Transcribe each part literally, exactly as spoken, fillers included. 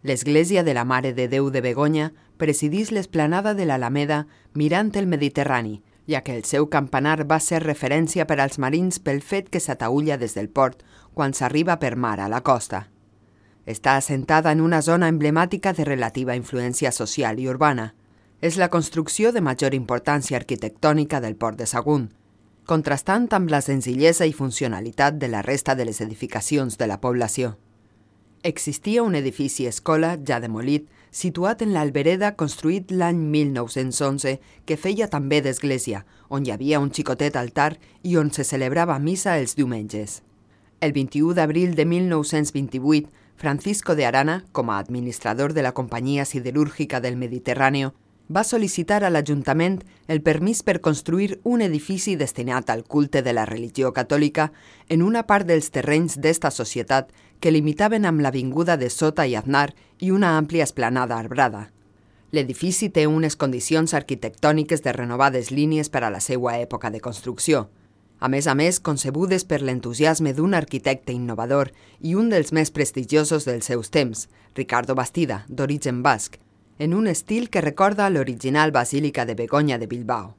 L'església de la Mare de Déu de Begoña presidís l'esplanada de l'Alameda mirant el Mediterrani, ja que el seu campanar va ser referència per als marins pel fet que s'ataülla des del port quan s'arriba per mar a la costa. Està assentada en una zona emblemàtica de relativa influència social i urbana. És la construcció de major importància arquitectònica del port de Sagunt, contrastant amb la senzillesa i funcionalitat de la resta de les edificacions de la població. Existia un edifici escola ja demolit, situat en l'Albereda construït l'any mil nou-cents onze, que feia també d'església, on hi havia un xicotet altar i on se celebrava missa els diumenges. El vint-i-u d'abril de mil nou-cents vint-i-vuit, Francisco de Arana, com a administrador de la Companyia Siderúrgica del Mediterrani, va sol·licitar a l'Ajuntament el permís per construir un edifici destinat al culte de la religió catòlica en una part dels terrenys d'esta societat que limitaven amb l'avinguda de Sota i Aznar i una àmplia esplanada arbrada. L'edifici té unes condicions arquitectòniques de renovades línies per a la seva època de construcció, a més a més concebudes per l'entusiasme d'un arquitecte innovador i un dels més prestigiosos dels seus temps, Ricardo Bastida, d'origen basc, en un estil que recorda l'original Basílica de Begoña de Bilbao.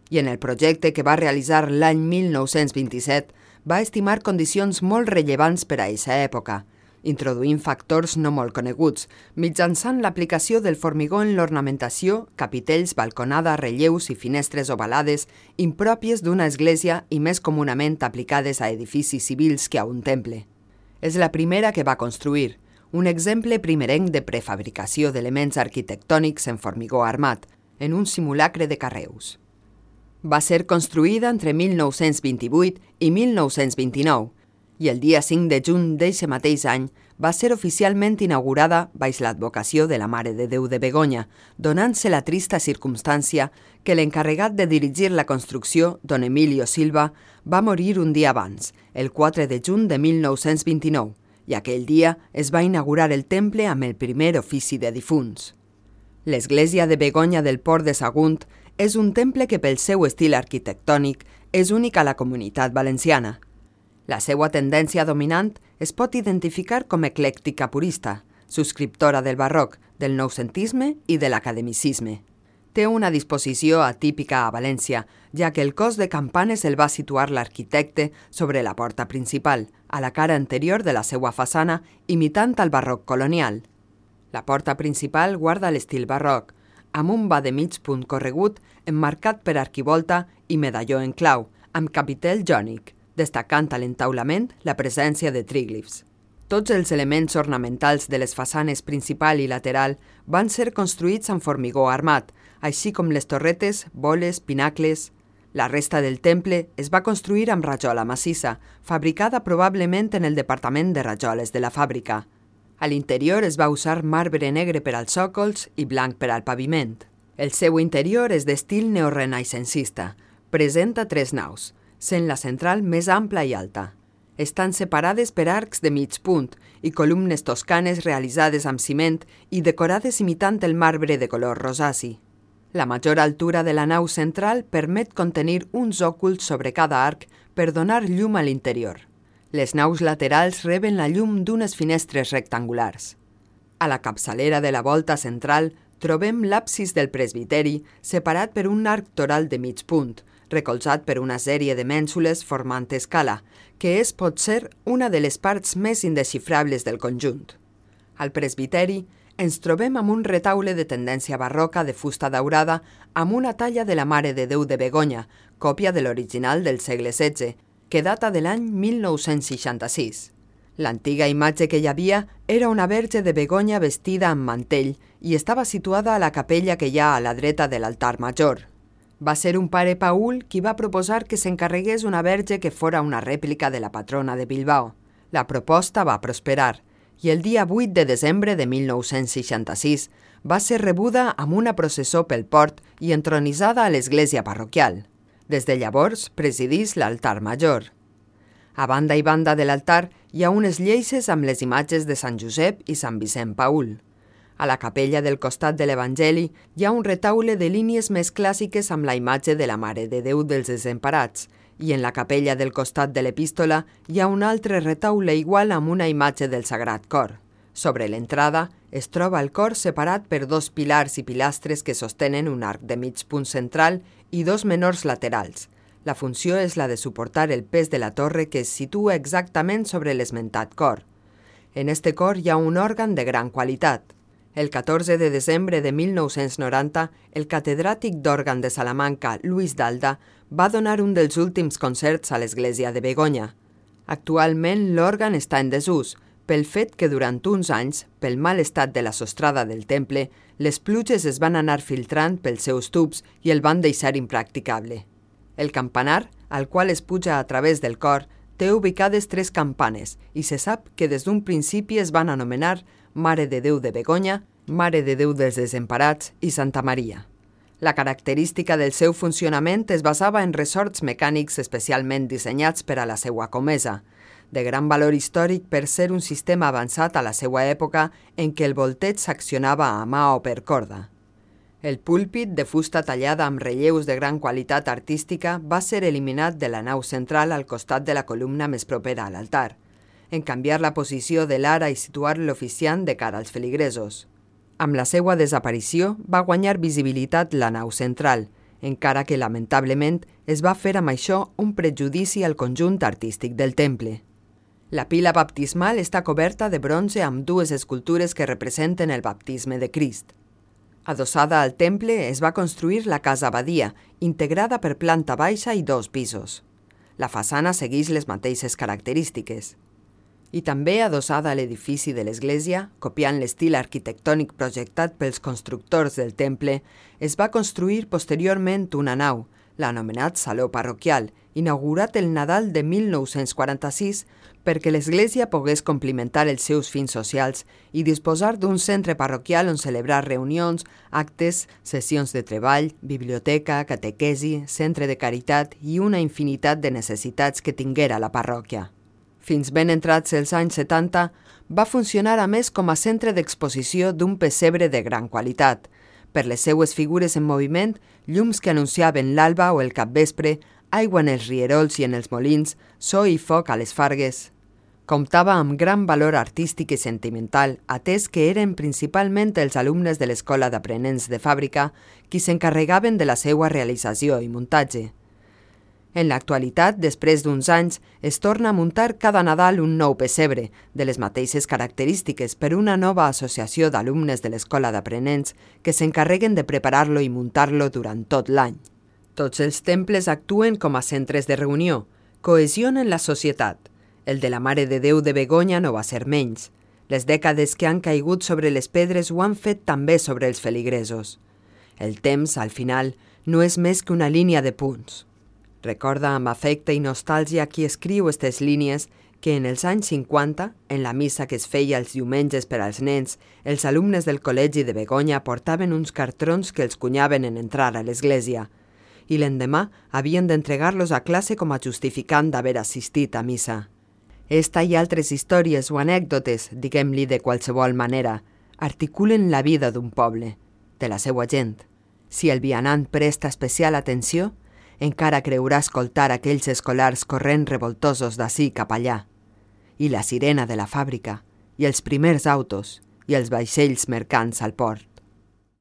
I en el projecte que va realitzar l'any mil nou-cents vint-i-set va estimar condicions molt rellevants per a aquesta època, introduint factors no molt coneguts, mitjançant l'aplicació del formigó en l'ornamentació, capitells, balconada, relleus i finestres ovalades impròpies d'una església i més comunament aplicades a edificis civils que a un temple. És la primera que va construir, un exemple primerenc de prefabricació d'elements arquitectònics en formigó armat, en un simulacre de carreus. Va ser construïda entre mil nou-cents vint-i-vuit i mil nou-cents vint-i-nou, i el dia cinc de juny d'eixe mateix any va ser oficialment inaugurada baix l'advocació de la Mare de Déu de Begoña, donant-se la trista circumstància que l'encarregat de dirigir la construcció, don Emilio Silva, va morir un dia abans, el quatre de juny de mil nou-cents vint-i-nou, i aquell dia es va inaugurar el temple amb el primer ofici de difunts. L'església de Begoña del Port de Sagunt és un temple que pel seu estil arquitectònic és únic a la Comunitat Valenciana. La seva tendència dominant es pot identificar com eclèctica purista, subscriptora del barroc, del noucentisme i de l'academicisme. Té una disposició atípica a València, ja que el cos de campanes el va situar l'arquitecte sobre la porta principal, a la cara anterior de la seva façana, imitant el barroc colonial. La porta principal guarda l'estil barroc, amb un va de mig punt corregut emmarcat per arquivolta i medalló en clau, amb capitel jònic, destacant a l'entaulament la presència de tríglifs. Tots els elements ornamentals de les façanes principal i lateral van ser construïts amb formigó armat, així com les torretes, boles, pinacles. La resta del temple es va construir amb rajola massissa, fabricada probablement en el departament de rajoles de la fàbrica. A l'interior es va usar marbre negre per als sòcols i blanc per al paviment. El seu interior és d'estil neorenaixencista. Presenta tres naus, sent la central més ampla i alta. Estan separades per arcs de mig punt i columnes toscanes realitzades amb ciment i decorades imitant el marbre de color rosaci. La major altura de la nau central permet contenir uns òculs sobre cada arc per donar llum a l'interior. Les naus laterals reben la llum d'unes finestres rectangulars. A la capçalera de la volta central trobem l'absis del presbiteri separat per un arc toral de mig punt, recolzat per una sèrie de mènsules formant escala, que és potser una de les parts més indesxifrables del conjunt. Al presbiteri ens trobem amb un retaule de tendència barroca de fusta daurada amb una talla de la Mare de Déu de Begoña, còpia de l'original del segle setze, que data de l'any mil nou-cents seixanta-sis. L'antiga imatge que hi havia era una verge de Begoña vestida amb mantell i estava situada a la capella que hi ha a la dreta de l'altar major. Va ser un pare Paül qui va proposar que s'encarregués una verge que fora una rèplica de la patrona de Bilbao. La proposta va prosperar i el dia vuit de desembre de mil nou-cents seixanta-sis va ser rebuda amb una processó pel port i entronitzada a l'església parroquial. Des de llavors presidís l'altar major. A banda i banda de l'altar hi ha unes lleixes amb les imatges de Sant Josep i Sant Vicent Paül. A la capella del costat de l'Evangeli hi ha un retaule de línies més clàssiques amb la imatge de la Mare de Déu dels Desemparats i en la capella del costat de l'Epístola hi ha un altre retaule igual amb una imatge del Sagrat Cor. Sobre l'entrada es troba el cor separat per dos pilars i pilastres que sostenen un arc de mig punt central i dos menors laterals. La funció és la de suportar el pes de la torre que es situa exactament sobre l'esmentat cor. En este cor hi ha un òrgan de gran qualitat. El catorze de desembre de mil nou-cents noranta, el catedràtic d'òrgan de Salamanca, Luis Dalda, va donar un dels últims concerts a l'església de Begoña. Actualment l'òrgan està en desús, pel fet que durant uns anys, pel mal estat de la sostrada del temple, les pluges es van anar filtrant pels seus tubs i el van deixar impracticable. El campanar, al qual es puja a través del cor, té ubicades tres campanes i se sap que des d'un principi es van anomenar Mare de Déu de Begoña, Mare de Déu dels Desemparats i Santa Maria. La característica del seu funcionament es basava en ressorts mecànics especialment dissenyats per a la seua comesa, de gran valor històric per ser un sistema avançat a la seua època en què el volteig s'accionava a mà o per corda. El púlpit, de fusta tallada amb relleus de gran qualitat artística, va ser eliminat de la nau central al costat de la columna més propera a l'altar, en canviar la posició de l'ara i situar l'oficiant de cara als feligresos. Amb la seva desaparició va guanyar visibilitat la nau central, encara que lamentablement es va fer amb això un prejudici al conjunt artístic del temple. La pila baptismal està coberta de bronze amb dues escultures que representen el baptisme de Crist. Adossada al temple es va construir la casa abadia, integrada per planta baixa i dos pisos. La façana segueix les mateixes característiques. I també adossada a l'edifici de l'església, copiant l'estil arquitectònic projectat pels constructors del temple, es va construir posteriorment una nau, l'anomenat Saló Parroquial, inaugurat el Nadal de mil nou-cents quaranta-sis perquè l'església pogués complimentar els seus fins socials i disposar d'un centre parroquial on celebrar reunions, actes, sessions de treball, biblioteca, catequesi, centre de caritat i una infinitat de necessitats que tinguera la parròquia. Fins ben entrats els anys setanta, va funcionar a més com a centre d'exposició d'un pessebre de gran qualitat. Per les seues figures en moviment, llums que anunciaven l'alba o el capvespre, aigua en els rierols i en els molins, so i foc a les fargues. Comptava amb gran valor artístic i sentimental, atès que eren principalment els alumnes de l'Escola d'Aprenents de Fàbrica qui s'encarregaven de la seva realització i muntatge. En l'actualitat, després d'uns anys, es torna a muntar cada Nadal un nou pessebre, de les mateixes característiques, per una nova associació d'alumnes de l'Escola d'Aprenents que s'encarreguen de preparar-lo i muntar-lo durant tot l'any. Tots els temples actuen com a centres de reunió, cohesionen la societat. El de la Mare de Déu de Begoña no va ser menys. Les dècades que han caigut sobre les pedres ho han fet també sobre els feligresos. El temps, al final, no és més que una línia de punts. Recorda amb afecte i nostàlgia qui escriu aquestes línies que en els anys cinquanta, en la missa que es feia els diumenges per als nens, els alumnes del col·legi de Begoña portaven uns cartrons que els cunyaven en entrar a l'església i l'endemà havien d'entregar-los a classe com a justificant d'haver assistit a missa. Esta i altres històries o anècdotes, diguem-li de qualsevol manera, articulen la vida d'un poble, de la seva gent. Si el vianant presta especial atenció, encara creurà escoltar aquells escolars corrent revoltosos d'ací cap allà, i la sirena de la fàbrica, i els primers autos, i els vaixells mercants al port.